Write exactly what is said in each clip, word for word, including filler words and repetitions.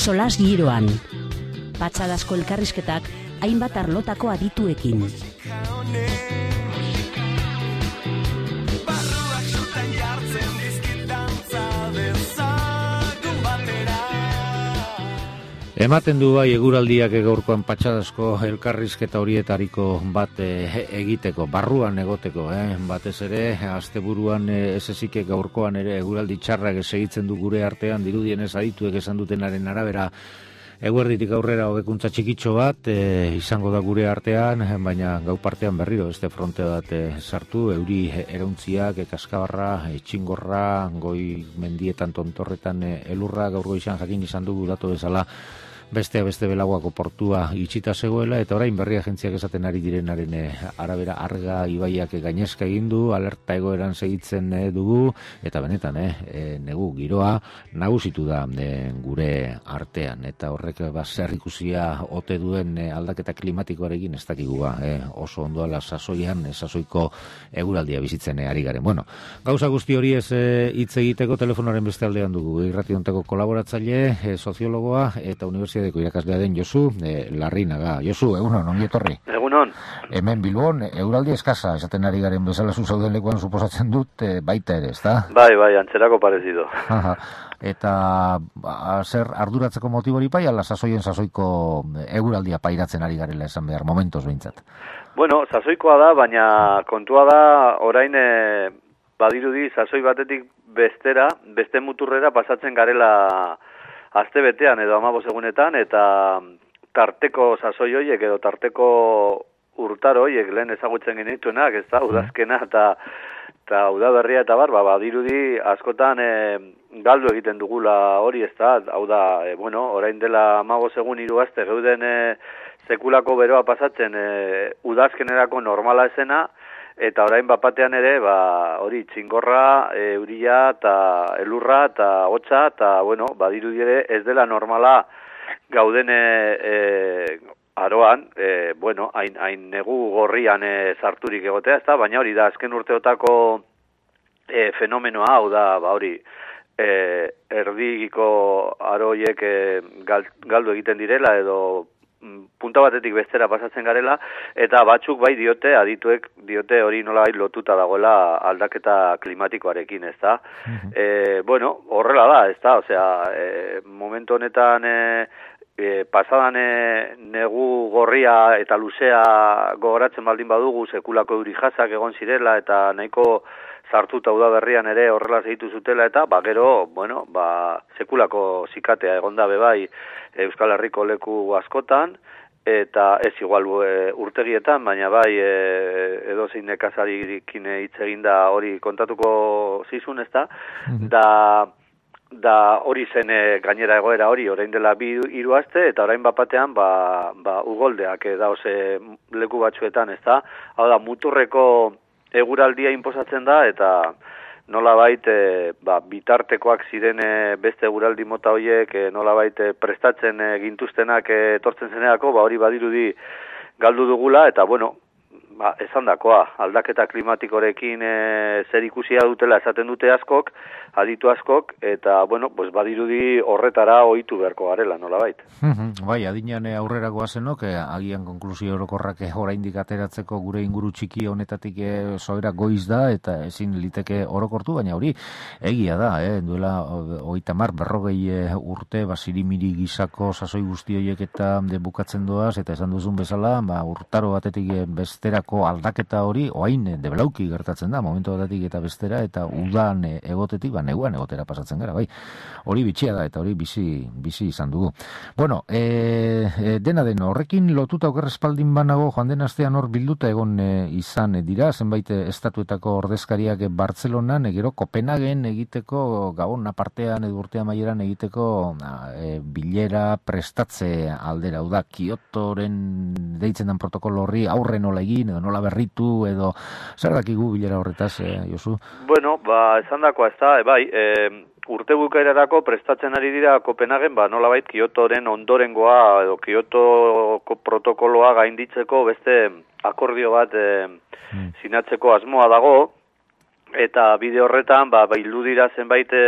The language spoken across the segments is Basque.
Solas giroan. Patxadazko elkarrizketak hainbat arlotako adituekin. Ematen du bai eguraldiak gaurkoan patxadazko elkarrizketa horietariko bat e, egiteko, barruan egoteko, eh? Batez ere, asteburuan e, ez ezik gaurkoan ere eguraldi txarrak segitzen du gure artean, dirudienez adituek esan dutenaren arabera, eguerditik aurrera hobekuntza txikitxo bat e, izango da gure artean, baina gau partean berriro beste fronte bat e, sartu, euri erauntziak, e, kaskabarra, e, txingorra, goi mendietan tontorretan e, elurra, gaur goizan jakin izan dugu datu bezala, beste beste belaguako portua itxita zegoela, eta orain berri agentziak esaten ari direnaren arabera arga ibaiak gainezka egin du, alerta egoeran segitzen dugu, eta benetan, eh, negu giroa nagusitu da eh, gure artean, eta horrek ba, zer ikusia ote duen eh, aldaketa klimatikoarekin ez dakigu ba, eh, oso ondoala sasoian, eh, sasoiko eguraldia bizitzen eh, ari garen. Bueno, gauza guzti hori ez hitz eh, egiteko telefonoaren beste aldean dugu, irrationteko kolaboratzaile, eh, soziologoa eta universitatea Deko irakaslea den Josu e, Larrinaga. Josu, egunon, ongi etorri. Egunon. Hemen Bilbon, euraldi eskasa, esaten ari garen bezala zu zauden lekuan suposatzen dut, e, baita ere, ezta? Bai, bai, antzerako parezido. Eta ba, zer arduratzeko motibori pai, ala sasoien sasoiko euraldia pairatzen ari garela esan behar, momentos behintzat. Bueno, sasoikoa da, baina kontua da, orain e, badirudi sasoi batetik bestera, beste muturrera pasatzen garela aste betean edo hamabost egunetan, eta tarteko sasoi horiek edo tarteko urtaro horiek lehen ezagutzen genituenak, ez da, udazkena eta eta udaberria eta bar, ba, badirudi askotan e, galdu egiten dugula hori, ez da, hau da, e, bueno, orain dela hamabost egun hiru aste geuden e, sekulako beroa pasatzen e, udazkenerako normala esena, eta orain bapatean ere, ba, hori txingorra, euria eta elurra eta hotza, eta, bueno, badirudi ere ez dela normala gauden e, e, aroan, e, bueno, hain, hain negu gorrian e, sarturik egotea, ezta, baina hori da, azken urteotako e, fenomenoa, hau da, ba, hori, e, erdigiko aroiek e, galdu egiten direla, edo punta batetik bestera pasatzen garela, eta batzuk bai diote, adituek diote hori nola lotuta dagoela aldaketa klimatikoarekin, ez da. Uh-huh. E, bueno, horrela da, ez da, osea, e, momentu honetan e, e, pasadan e, negu gorria eta luzea gogoratzen baldin badugu, sekulako euri jasak egon zirela, eta nahiko sartuta udaberrian ere horrela segitu zutela, eta ba gero, bueno, ba sekulako zikatea egonda bebai Euskal Herriko leku askotan, eta ez igual e, urtegietan, baina bai e, edozein nekazarikin hitz eginda hori kontatuko zizun, ez da, da, da hori zen e, gainera egoera hori, orain dela bi hiru aste, eta orain bapatean, ba, ba ugoldeak e, daoze leku batzuetan, ez da, hau da, muturreko eguraldia inposatzen da, eta nolabait e, ba, bitartekoak ziren e, beste eguraldi mota horiek e, nolabait e, prestatzen e, gintuztenak e, etortzen zenerako, ba hori badirudi galdu dugula, eta bueno, ba, esandakoa, aldaketa klimatikorekin e, zer ikusia dutela esaten dute askok, aditu askok, eta bueno, pues badirudi horretara ohitu beharko garela, nolabait. Bai, adinean aurrera goazenok, eh, agian konklusio orokorrak oraindik ateratzeko gure inguru txiki honetatik eh, soera goiz da, eta ezin liteke orokortu, baina hori egia da, eh, duela hogeita hamar berrogei eh, urte, basirimiri gisako sasoi guzti horiek eta de bukatzen doaz, eta esan duzun bezala, ba, urtaro batetik eh, besterako aldaketa hori, oain eh, debelauki gertatzen da, momentu batetik eta bestera, eta udan eh, egotetik, ba, neguan egotera pasatzen gara, bai. Hori bitxia da, eta hori bizi, bizi izan dugu. Bueno, e, e, dena den, horrekin lotuta oker espaldin banago, joan den astean hor bilduta egon e, izan e, dira, zenbait estatuetako ordezkariak e, Bartzelonan, e, gero Kopenhagen egiteko, Gabon apartean edo urtea maieran egiteko e, bilera prestatze aldera, hau da, Kyotoren deitzen den protokolo horri aurre nola egin, edo nola berritu, edo zer dakigu bilera horretaz, e, Josu? Bueno, ba, esan dakoa ez da, e, bai, e, urte bukaerarako prestatzen ari dira Kopenhagen, ba, nolabait Kyotoren ondorengoa edo Kyotoko protokoloa gainditzeko beste akordio bat e, hmm. sinatzeko asmoa dago, eta bide horretan ba bildu dira zenbait e,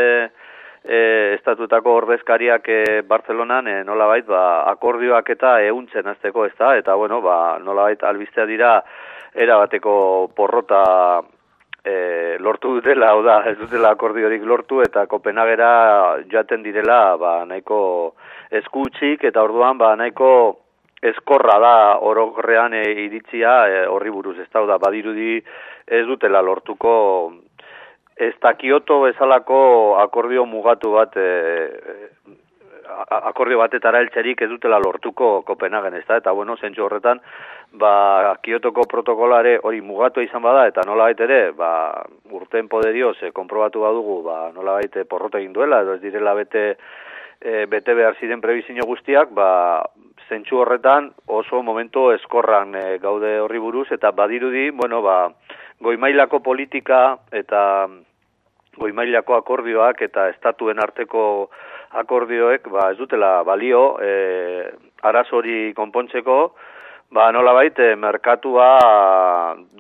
e, estatutako ordezkariak e, Bartzelonan e, nolabait ba, akordioak eta ehuntzen hasteko, ez da, eta bueno, ba, nolabait albistea dira erabateko porrota e, lortu dutela, hau da, ez dutela akordiorik lortu, eta Kopenhagera joaten direla ba, nahiko eskutsik, eta orduan ba, nahiko eskorra da orokorrean e, iritzia e, horri buruz, ez da, badirudi ez dutela lortuko ez da Kyoto bezalako akordio mugatu bat, e, akordio batetara heltzerik ez dutela lortuko Kopenhagen, ez da, eta bueno, zentzu horretan, ba, Kyotoko protokolare hori mugatu izan bada, eta nolabait ere, ba, urten poderioz, e, konprobatu badugu, ba, nolabait porrota egin duela, edo ez direla bete, e, bete behar ziren prebizio guztiak, ba, zentzu horretan oso momento eskorran e, gaude horri buruz, eta badirudi, bueno, ba, goimailako politika eta goimailako akordioak eta estatuen arteko akordioek ba, ez dutela balio e, arazori konpontzeko, ba, nolabait e, merkatua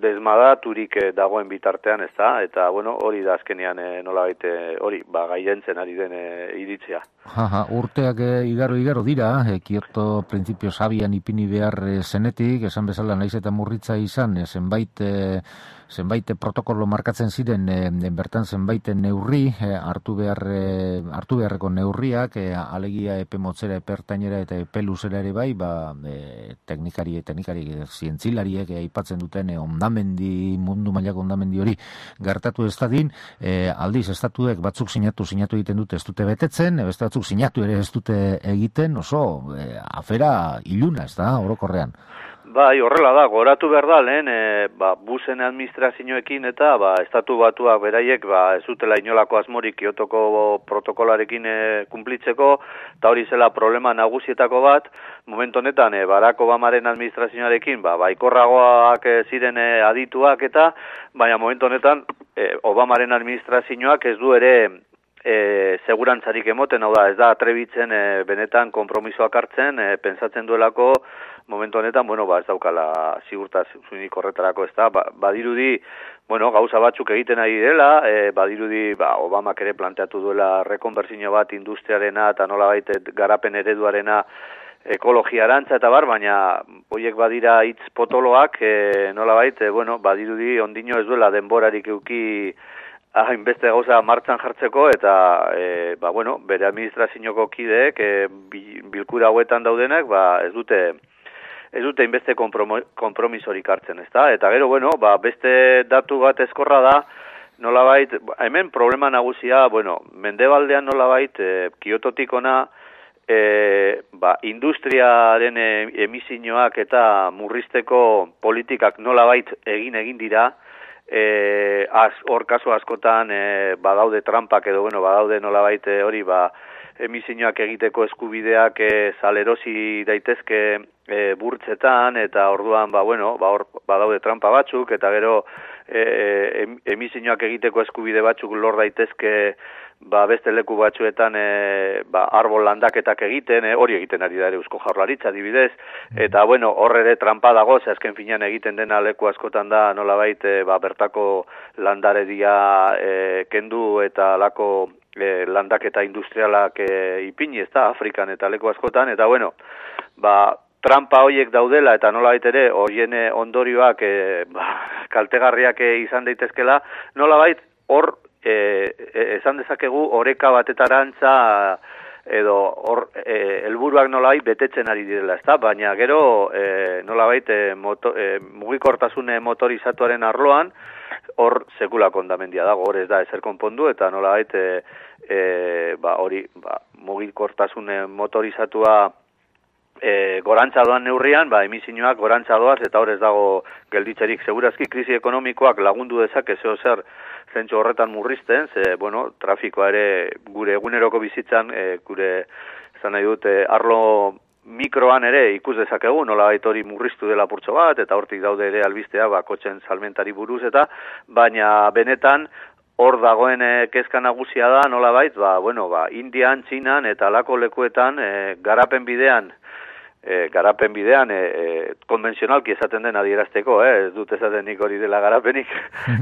desmadaturik e, dagoen bitartean, ez da, eta bueno, hori da azkenean e, nolabait e, hori ba, gailentzen ari den e, iritzia. Jaja, urteak e, igaro igaro dira, e, Kyoto printzipio sabian ipini behar e, zenetik, esan bezala naiz eta murritza izan, e, zenbait e, zenbait protokolo markatzen ziren, e, bertan zenbait neurri, e, hartu behar e, hartu beharreko neurriak, e, alegia epe motzera, epe ertainera eta epe luzera ere bai, ba, e, teknikari, teknikari, zientzilariek e, aipatzen duten e, ondamendi, mundu mailako ondamendi hori gertatu ez dadin, e, aldiz estatuek batzuk sinatu, sinatu egiten dute ez dute betetzen, e, beste batzuk sinatu ere ez dute egiten, oso e, afera iluna, ez da, orokorrean. Bai, horrela da, goratu behar da, lehen, e, ba, busen administrazioekin eta ba, estatu batuak beraiek ba, ez dutela inolako asmorik Kyotoko protokolarekin e, kumplitzeko, eta hori zela problema nagusietako bat, momentu honetan, e, Barack Obamaren administrazioarekin, ba, baikorragoak e, ziren e, adituak eta, baina momentu honetan, e, Obamaren administrazioak ez du ere E, segurantzarik emoten, hau da, ez da atrebitzen e, benetan konpromisoak hartzen, e, pentsatzen duelako momentu honetan, bueno, ba, ez daukala ziurtasunik horretarako, ez da, ba, badirudi, bueno, gauza batzuk egiten ari dela, e, badirudi, ba, Obamak ere planteatu duela rekonbertsio bat industriarena eta nolabait garapen ereduarena ekologiarantza eta bar, baina horiek badira hitz potoloak, e, nolabait, e, bueno, badirudi ondino ez duela denborarik euki hainbeste gauza martxan jartzeko eta e, ba, bueno, bere administrazioko kideek e, bilkura hauetan daudenak ba, ez dute ez dute inbeste konpromisorik hartzen, ezta? Eta gero, bueno, ba, beste datu bat eskorra da, nolabait, hemen problema nagusia, bueno, mendebaldean nolabait, e, Kyototik ona, e, ba, industriaren e, emisioak eta murrizteko politikak nolabait egin egin dira, E, az, hor kasu askotan e, badaude trampak edo bueno, badaude nolabait hori ba, emisioak egiteko eskubideak e, salerosi daitezke e, burtzetan eta orduan ba, bueno, ba, hor badaude trampa batzuk eta gero e, emisioak egiteko eskubide batzuk lor daitezke ba, beste leku batzuetan e, ba, arbol landaketak egiten, e, hori egiten ari da ere Eusko Jaurlaritza adibidez, eta bueno, hor ere trampa dago, ze azken finean egiten dena leku askotan da nolabait e, ba, bertako landaredia e, kendu eta lako e, landaketa industrialak e, ipini, ez da, Afrikan eta leku askotan, eta bueno, ba, trampa horiek daudela eta nolabait ere horien ondorioak e, ba, kaltegarriak e, izan daitezkela, nolabait hor E, e, esan dezakegu oreka batetarantza edo hor e, helburuak nolabait betetzen ari direla, ezta? Baina gero e, nolabait e, moto, e, mugikortasune motorizatuaren arloan hor sekulako hondamendia dago, hor ez da ezer konpondu eta nolabait e, e, ba, hori ba, mugikortasune motorizatua E, gorantza doan neurrian, ba, emisioak gorantza doaz, eta hor ez dago gelditzerik segurazki krisi ekonomikoak lagundu dezake zeo zer zentzu horretan murrizten, ze, bueno, trafikoa ere gure eguneroko bizitzan, e, gure, esan nahi dut, e, arlo mikroan ere ikus dezakegu, nolabait hori murriztu dela purtso bat, eta hortik daude ere albistea, ba, kotxen salmentari buruz, eta, baina benetan, hor dagoen e, kezka nagusia da, nolabait, ba, bueno, ba, Indian, Txinan, eta alako lekuetan, e, garapen bidean, E, garapen bidean, e, e, konbentzionalki esaten den adierazteko, eh? Ez dut esaten nik hori dela garapenik.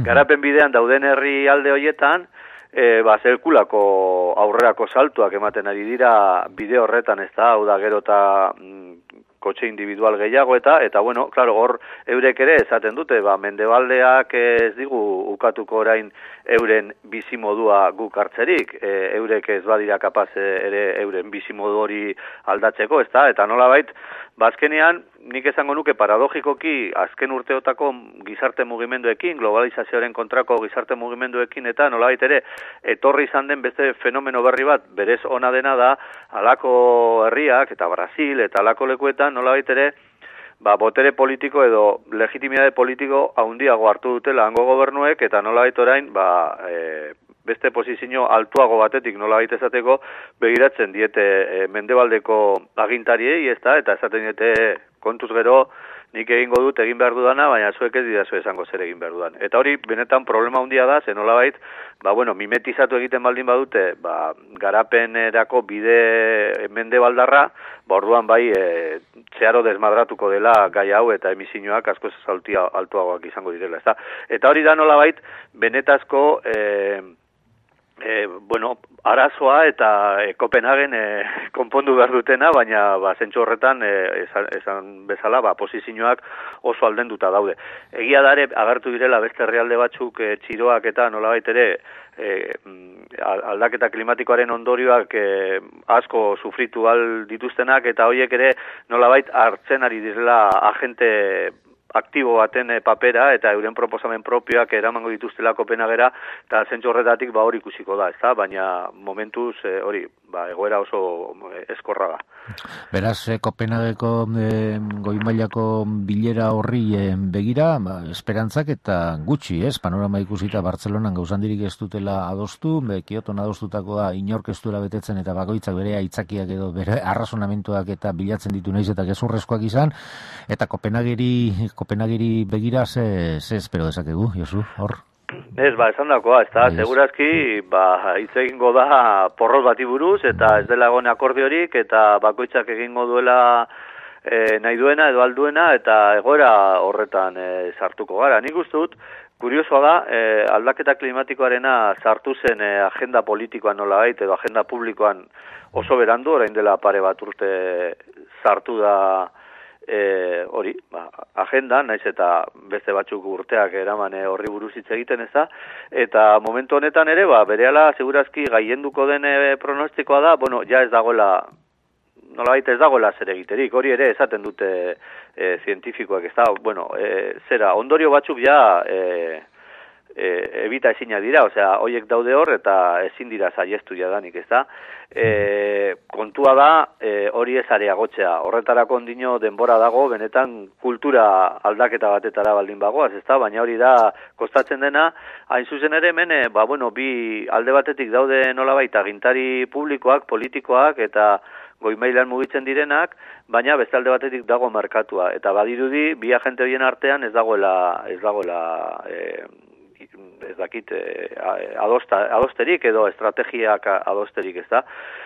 Garapen bidean dauden herri alde horietan, e, ba, zelkulako aurrerako saltuak ematen ari dira bide horretan, ez da, hau da gero eta mm, kotxe individual gehiago eta, eta bueno, claro, hor eurek ere esaten dute, ba, mendebaldeak ez digu ukatuko orain euren bizimodua guk hartzerik, e, eurek ez badira kapaz ere euren bizimodu hori aldatzeko, ez da, eta nolabait, bazkenean, nik esango nuke paradogikoki azken urteotako gizarte mugimenduekin, globalizazioaren kontrako gizarte mugimenduekin, eta nolabait ere, etorri izan den beste fenomeno berri bat, berez ona dena da, halako herriak, eta Brasil, eta halako lekuetan, nolabait ere, ba, botere politiko edo legitimidade politiko handiago hartu dutela hango gobernuek, eta nolabait orain, ba, e, beste posizio altuago batetik nolabait esateko begiratzen diete e, mendebaldeko agintariei, ez da, eta esaten diete kontuz gero, nik egingo dut egin behar dudana, baina zuek ez didazu esango zer egin behar dudan. Eta hori benetan problema handia da, zen nolabait, ba, bueno, mimetizatu egiten baldin badute, ba, garapenerako bide mendebaldarra, ba, orduan bai, e, zeharo desmadratuko dela gai hau eta emisioak asko zaltia altuagoak izango direla, ez da. Eta hori da nolabait, benetazko, e, E, bueno, arazoa eta e, Kopenhagen e, konpondu behar dutena, baina ba, zentsu horretan e, esan, esan bezala ba, posizioak oso aldenduta daude. Egia dare, agertu direla beste herrialde batzuk e, txiroak eta nolabait ere e, aldaketa klimatikoaren ondorioak e, asko sufritu al dituztenak, eta horiek ere nolabait hartzen ari direla agente aktibo baten papera eta euren proposamen propioak eramango dituztela Kopenhagera, eta zentzu horretatik ba hori ikusiko da, ezta? Baina momentuz e, hori, ba, egoera oso eskorra da. Beraz, eh, Kopenhageko eh, goi-mailako bilera horri eh, begira, ba, esperantzak eta gutxi, ez? Panorama ikusita Bartzelonan gauzandirik ez dutela adostu, be, Kioton adostutakoa inork ez duela betetzen eta bakoitzak bere aitzakiak edo bere arrazonamentuak eta bilatzen ditu naiz eta gezurrezkoak izan, eta Kopenhageri Kopenhageri begira ze, ze espero dezakegu, Josu, hor? Ez, ba, esan dakoa, ez da, segurazki, ba, hitz egingo da porrot bati buruz, eta ez dela egon akordiorik, eta bakoitzak egingo duela e, nahi duena edo alduena, eta egoera horretan e, sartuko gara. Nik uste dut, kuriosoa da, e, aldaketa klimatikoarena sartu zen e, agenda politikoan nolabait, edo agenda publikoan oso berandu, orain dela pare bat urte sartu da E, hori, ba, agenda, naiz eta beste batzuk urteak eraman horri buruz hitz egiten, ez da, eta momentu honetan ere, ba, berehala segurazki gaienduko den e, pronostikoa da, bueno, ja ez dagoela, nolabait ez dagoela zer egiterik, hori ere esaten dute e, zientifikoak, ez da, bueno, e, zera, ondorio batzuk ja e, e, ebita ezina dira, osea, hoiek daude hor eta ezin dira saiestu jadanik, ez da. E, kontua da e, hori ez areagotzea, horretarako ondino denbora dago, benetan kultura aldaketa batetara baldin bagoaz, ez da, baina hori da kostatzen dena, hain zuzen ere hemen, e, ba, bueno, bi alde batetik daude nolabait agintari publikoak, politikoak eta goi-mailan mugitzen direnak, baina beste alde batetik dago merkatua, eta badirudi bi agente horien artean ez dagoela, ez dagoela e, ez dakit adosta, adosterik edo estrategiak adosterik, ez da.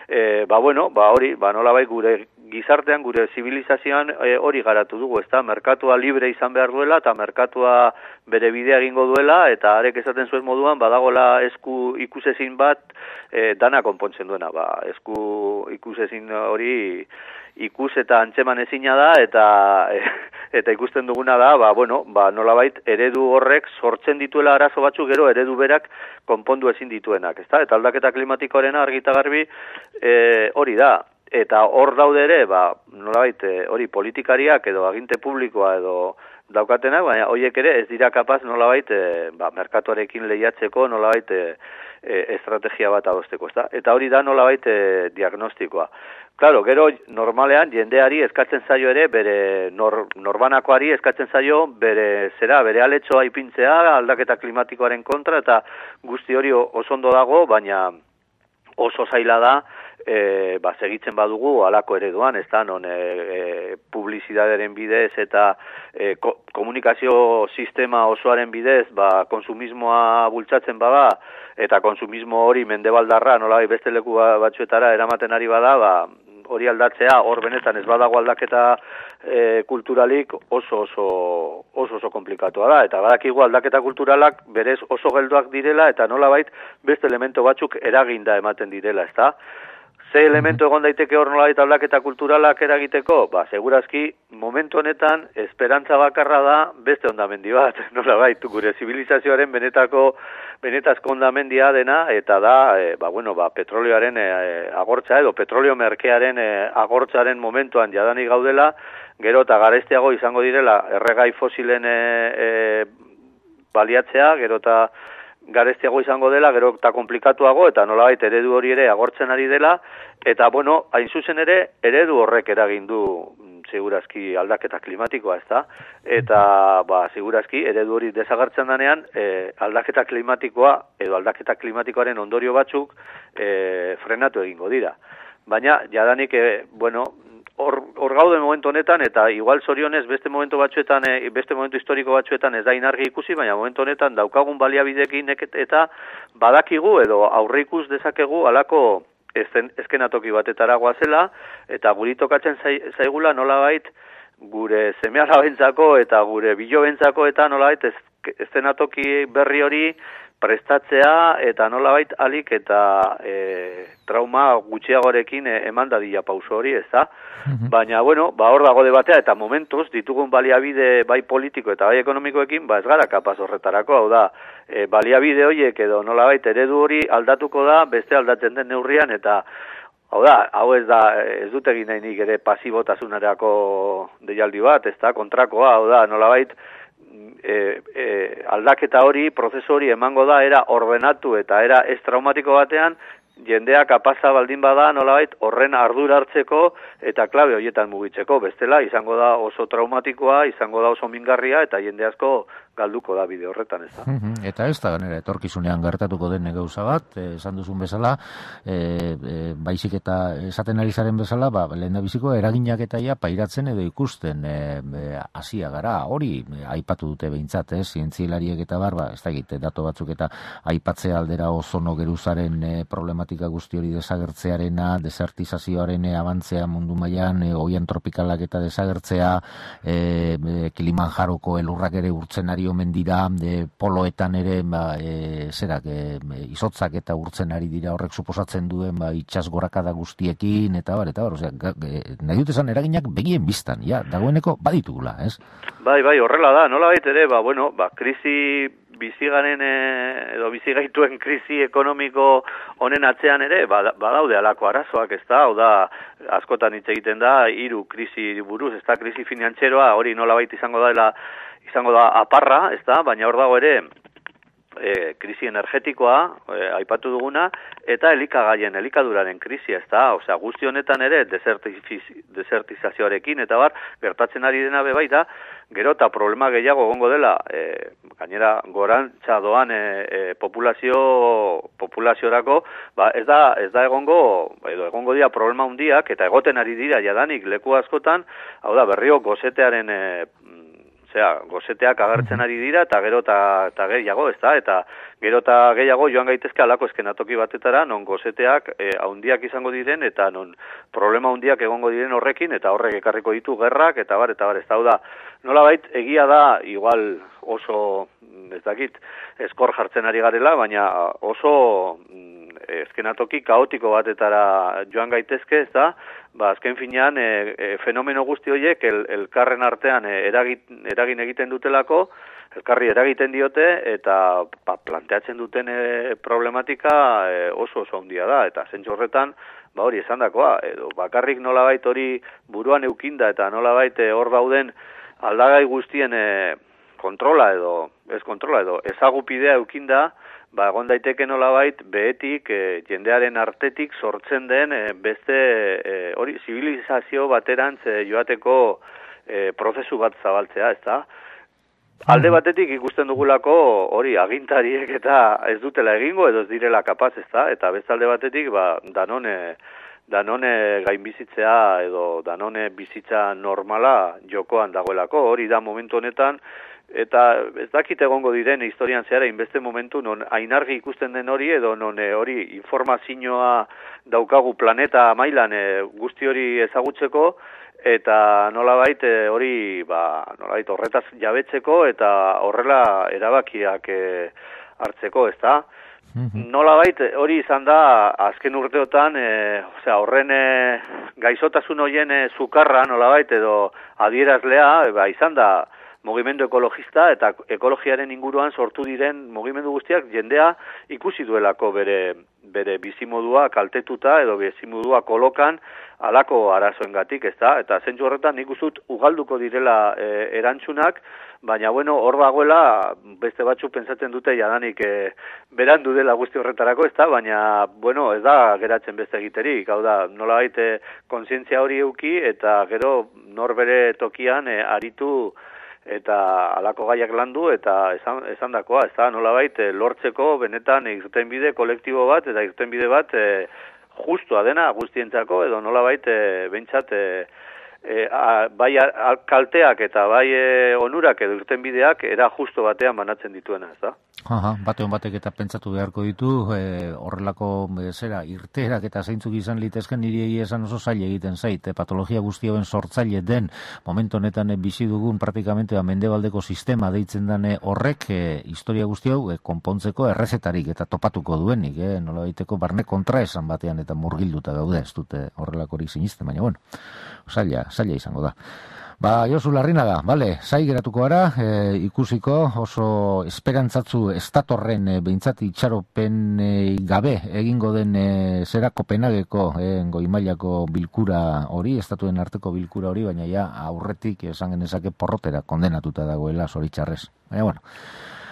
E, ba, bueno, ba, hori, ba, nolabait gure gizartean, gure zibilizazioan e, hori garatu dugu, ez da. Merkatua libre izan behar duela, eta merkatua bere bidea egingo duela, eta arek esaten zuen moduan, badagola esku ikusezin bat e, dana konpontzen duena. Ba, esku ikusezin hori ikus eta antzeman ezina da, eta e, eta ikusten duguna da, ba, bueno, ba, nolabait eredu horrek sortzen dituela arazo batzuk gero eredu berak konpondu ezin dituenak, ezta? Eta aldaketa klimatikoarena argita garbi e, hori da. Eta hor daude ere, ba, nolabait hori politikariak edo aginte publikoa edo daukatenak, baina horiek ere ez dira kapaz nolabait e, ba, merkatuarekin lehiatzeko nolabait e, e, estrategia bat adosteko, ezta? Eta hori da nolabait e, diagnostikoa. Claro, gero normalean jendeari eskatzen zaio ere bere nor, norbanakoari eskatzen zaio bere zera, bere aletxoa ipintzea aldaketa klimatikoaren kontra eta guzti hori oso ondo dago, baina oso zaila da e, ba, segitzen badugu halako ereduan, ez da, non e, e, publizitatearen bidez eta e, ko, komunikazio sistema osoaren bidez, ba, konsumismoa bultzatzen bada, eta konsumismo hori mendebaldarra, nolabait beste leku batzuetara eramaten ari bada, ba, hori aldatzea, hor benetan ez badago aldaketa e, kulturalik oso oso oso oso komplikatua da, eta badakigu aldaketa kulturalak berez oso geldoak direla, eta nolabait beste elemento batzuk eraginda ematen direla, ezta? Ze elementu egon daiteke hor nolabait aldaketa kulturalak eragiteko? Ba, segurazki, momentu honetan, esperantza bakarra da beste ondamendi bat, nolabait, gure zibilizazioaren benetako, benetazko ondamendia dena, eta da, e, ba, bueno, ba, petrolioaren e, agortza edo petrolio merkearen e, agortzaren momentuan jadanik gaudela, gero eta garestiago izango direla erregai fosilen e, e, baliatzea, gero eta garestiago izango dela, gero eta komplikatuago, eta nolabait eredu hori ere agortzen ari dela, eta bueno, hain zuzen ere, eredu horrek eragin du segurazki aldaketa klimatikoa, ezta? Eta, ba, segurazki, eredu hori desagertzen danean, e, aldaketa klimatikoa, edo aldaketa klimatikoaren ondorio batzuk, e, frenatu egingo dira. Baina, jadanik, e, bueno, hor, hor gaude momentu honetan, eta igual zorionez beste momentu batzuetan, e, beste momentu historiko batzuetan ez da inargi ikusi, baina momentu honetan daukagun baliabidekin eta badakigu edo aurre ikus dezakegu alako ezen, eskenatoki batetara goazela, eta guri tokatzen zaigula nolabait gure seme-alabentzako eta gure bilobentzako eta nolabait eszenatoki berri hori prestatzea eta nolabait alik eta e, trauma gutxiagorekin e, eman dadila pauso hori, ez da? Mm-hmm. Baina, bueno, ba hor dago debatea eta momentuz ditugun baliabide bai politiko eta bai ekonomikoekin, ba ez gara kapaz horretarako, hau da, e, baliabide horiek edo nolabait eredu hori aldatuko da, beste aldatzen den neurrian eta hau da, hau ez da, ez dut egin nahi nik ere pasibotasunarako deialdi bat, ez da, kontrakoa, hau da, nolabait, E, e, aldaketa hori, prozesu hori emango da era ordenatu eta era ez traumatiko batean, jendea kapaza baldin bada nolabait horren ardura hartzeko eta klabe horietan mugitzeko, bestela izango da oso traumatikoa, izango da oso mingarria eta jende asko galduko da bide horretan, ez da. Eta ez da, ganera, etorkizunean gertatuko den gauza bat, esan duzun bezala, e, e, baizik eta esaten ari zaren bezala, ba, lehen da biziko eraginak eta ja pairatzen edo ikusten hasia e, gara, hori e, aipatu dute behintzat, ez, zientzialariek eta bar, ba, ez da egite, dato batzuk eta aipatzea aldera ozono geruzaren e, problematika guzti hori desagertzearena, desertizazioaren e, abantzea mundu mailan, e, oian tropikalak eta desagertzea, e, e, Kilimanjaroko elurrak ere urtzen ari omen dira, e, poloetan ere ba, e, zerak, e, izotzak eta urtzen ari dira horrek suposatzen duen ba, itxas gorakada guztiekin, eta bar, eta bar, osea, e, nahi dut esan eraginak begien biztan, ja, dagoeneko baditugula, ez? Bai, bai, horrela da, nola bait ere, ba, bueno, ba, krisi bizigaren e, edo bizigaituen krisi ekonomiko honen atzean ere, badaude ba, alako arazoak, ez da, hau da, askotan hitz egiten da, hiru krisi buruz, ez da, krisi finantzeroa, hori nola bait izango da, izango da aparra, ez da, baina hor dago ere e, krisi energetikoa, e, aipatu duguna, eta elikagaien, elikaduraren krisi, ez da, osea, guzti honetan ere desertizazioarekin, eta bar, gertatzen ari dena be baita, gero eta problema gehiago egongo dela, e, gainera gorantza doan e, e, populazio, populaziorako, ba, ez da, ez da egongo, edo egongo dira problema handiak, eta egoten ari dira jadanik leku askotan, hau da, berrio gozetearen e, Osea, gozeteak agertzen ari dira, eta gero eta gehiago, ez da, eta gero eta gehiago joan gaitezke alako eskenatoki batetara, non gozeteak e, haundiak izango diren, eta non problema haundiak egongo diren horrekin, eta horrek ekarriko ditu gerrak, eta bar, eta bar, ez da, da, nolabait, egia da, igual oso, ez dakit, eskor jartzen ari garela, baina oso eskenatoki kaotiko batetara joan gaitezke, ez da, ba, azken finean, e, e, fenomeno guzti horiek el, elkarren artean e, eragit, eragin egiten dutelako, elkarri eragiten diote, eta ba, planteatzen duten e, problematika e, oso oso handia da, eta zentzu horretan, ba hori esan dakoa, edo bakarrik nolabait hori buruan eukinda, eta nolabait e, hor dauden aldagai guztien e, kontrola edo, ez kontrola edo, ezagupidea eukinda, ba, egon daiteke nolabait behetik, e, jendearen artetik sortzen den e, beste e, hori zibilizazio baterantz e, joateko e, prozesu bat zabaltzea, ez da? Alde batetik ikusten dugulako hori agintariek eta ez dutela egingo edo ez direla kapaz, ez da? Eta beste alde batetik, ba, danone, danone gainbizitzea edo danone bizitza normala jokoan dagoelako, hori da momentu honetan eta ez dakit egongo diren historian zehara inbeste momentu non ainargi ikusten den hori edo non e, hori informazioa daukagu planeta mailan e, guzti hori ezagutzeko eta nolabait e, hori ba nolabait horretaz jabetzeko eta horrela erabakiak e, hartzeko, ezta? Nolabait hori izan da azken urteotan e, osea horren e, gaixotasun hoien e, zukarra nolabait edo adierazlea ba izan da mugimendu ekologista eta ekologiaren inguruan sortu diren mugimendu guztiak jendea ikusi duelako bere bere bizimodua kaltetuta edo bizimodua kolokan halako arazoengatik, ezta? Eta zentzu horretan nik uste dut ugalduko direla e, erantzunak, baina bueno, hor dagoela beste batzuk pentsatzen dute jadanik e, berandu dela guzti horretarako, ezta? Baina bueno, ez da geratzen beste egiterik, hau da, nolabait e, kontzientzia hori eduki eta gero nor bere tokian e, aritu eta halako gaiak landu eta esan esandakoa, ez da nolabait e, lortzeko benetan irtenbide kolektibo bat eta irtenbide bat e, justua dena guztientzako edo nolabait e, behintzat e, e, a, bai a, kalteak eta bai e, onurak edo irtenbideak era justo batean banatzen dituena, ez da? Aha, batean batek eta pentsatu beharko ditu, e, horrelako e, zera, irteerak eta zeintzuk izan litezken niri egia esan oso zaila egiten zait, e, patologia guztioen sortzaile den, momentu honetan e, bizi dugun praktikamente ba, mendebaldeko sistema deitzen dane horrek, e, historia guzti hau e, konpontzeko errezetarik eta topatuko duenik, e, nola baiteko barne kontra esan batean eta murgilduta gaude, ez dute horrelakorik sinisten, baina bueno, zaila, zaila izango da. Ba, Josu Larrinaga, bale, zai geratuko gara, e, ikusiko oso esperantzatzu estatorren e, behintzat itxaropen e, gabe egingo den e, zera Kopenhageko e, goimailako bilkura hori, estatuen arteko bilkura hori, baina ja aurretik esan genezake porrotera kondenatuta dagoela zoritxarrez. Baina, bueno,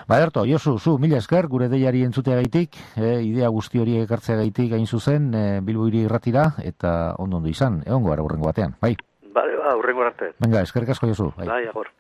ba, Ederto, Josu, zu, mila esker, gure deiari entzuteagaitik, e, idea guzti hori ekartzeagaitik gain zuzen, e, Bilbo hiri irratira, eta ondo ondo izan, egongo gara urrengo batean, bai? Bale, ba, urrengo arte. Venga, eskerrik asko Josu. Bai, agor.